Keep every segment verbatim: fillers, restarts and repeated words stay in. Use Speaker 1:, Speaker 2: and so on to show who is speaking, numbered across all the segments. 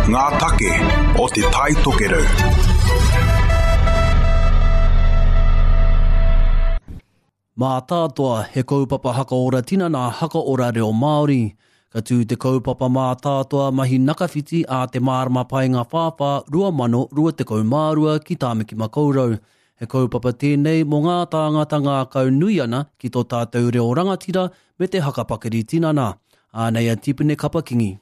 Speaker 1: Ngā take o Te Tai Tokerau.
Speaker 2: Mātātoa, he kaupapa hakaora tinana, hakaora reo Māori. Ka tū te kaupapa mātātoa mahi nakawhiti a te mārama painga whāwhā rua mano rua tekau mārua ki Tāmaki Makaurau. He kaupapa tēnei mō ngā tāngata ngākau nui ana ki tō tātou reo rangatira me te hakapakari tinana. Ānei a Tipene Kapakingi.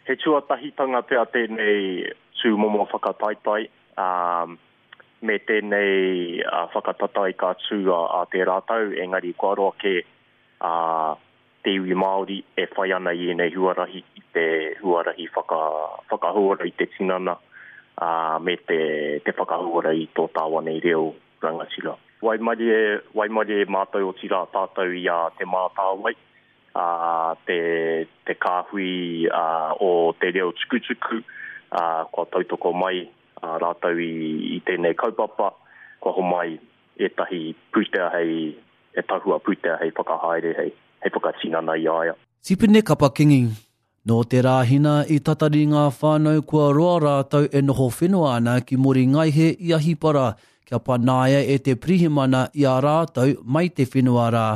Speaker 3: He tuatahitanga pea tēnei tūmomo whakataetae, um, me tēnei uh, whakatatai ka tū a, a te rātau, engari kua roa ke uh, te iwi Māori e whai ana i ēnei huarahi, i te huarahi whaka, whakahauora i te tinana, uh, me te, te whakahauora i tō tāwanei reo rangatira. Waimarie, waimarie mātou o tira tātou i a Te Mātāwai, uh, te, te kāhui uh, o te reo tukutuku, uh, kua tautoko mai uh, rātou i, i tēnei kaupapa, kua homai ētahi pūtea hei, he tahua pūtea hei whakahaere, hei, hei whakatinana i aia.
Speaker 2: Tipene Kapakingi. Nō te rāhina i tatari ngā whānau kua roa rātou e noho whenua ana ki Mori Ngaihe i Ahipara, kia panaia e te pirihimana i a rātou mai te whenua rā.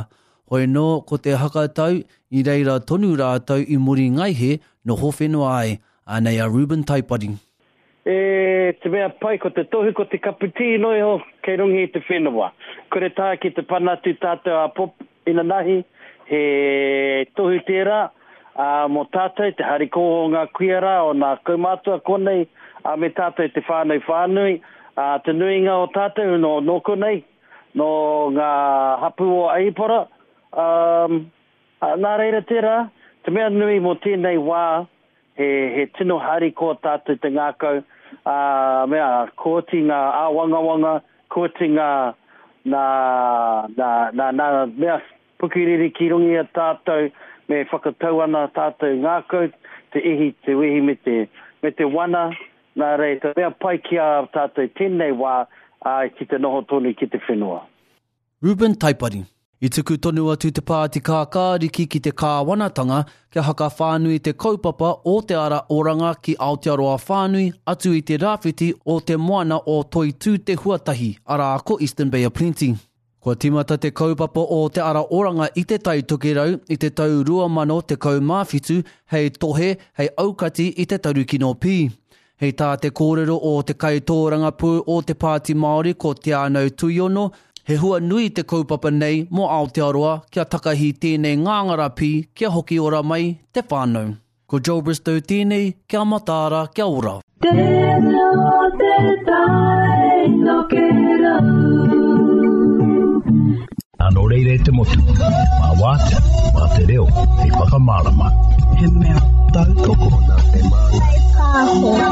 Speaker 2: Hoi nō ko te hakatau i reira tonu rātou i Mori Ngaihe noho whenua ai. Anei a Ruben Taipari.
Speaker 4: E te mea pai ko te tohu ko te kapiti no iho kei runga i te whenua. Kore tā ki te panatu tātou a pop inanahi, he tohu tērā, ā, mō tātou te hariko o ngā kuia rā, o ngā kaumātua konei, ā, me tātou te whānau whānui, ā, te nuinga o tātou nō, nō konei, nō ngā hapū o Ahipara, um, ā, nā reira tērā, te mea nui mō tēnei wā, he, he tino harikoa tātou te ngākau, ā, mea, kua oti ngā āwangawanga, kua oti ngā, nā, nā, nā, nā, mea, pukiriri ki runga i a tātou, me whakatau ana tātou ngākau, te ihi, te wehi me te, me te wana, nā reira, mea pai ki a tātou tēnei wā, ā, ki te noho tonu ki te whenua.
Speaker 2: Ruben Taipari. I tuku tonu atu te pāti kākāriki ki te kāwanatanga kia hakawhānui te kaupapa o te ara oranga ki Aotearoa whānui atu i te rāwhiti o te moana o Toitū te Huatahi, arā ko Eastern Bay of Plenty. Kua timata te kaupapa o te ara oranga i te Tai Tokerau i te tau rua mano tekau mā whitu hei tohe, hei aukati i te tarukino pī. Hei tā te kōrero o te kaitōrangapū o te Pāti Māori ko Te Anau Tuiono, he hua nui te kaupapa nei mō Aotearoa kia takahi tēnei ngāngara pī kia hoki ora mai te whānau. Ko Joe Bristow tēnei, kia mataara, kia ora.
Speaker 5: Tēnā te tai tokerau.
Speaker 6: Anō reira e te motu, mā wātea, mā te reo, hei whakamārama.
Speaker 7: He mea tautoko.
Speaker 5: Nā te māngai. Pāho.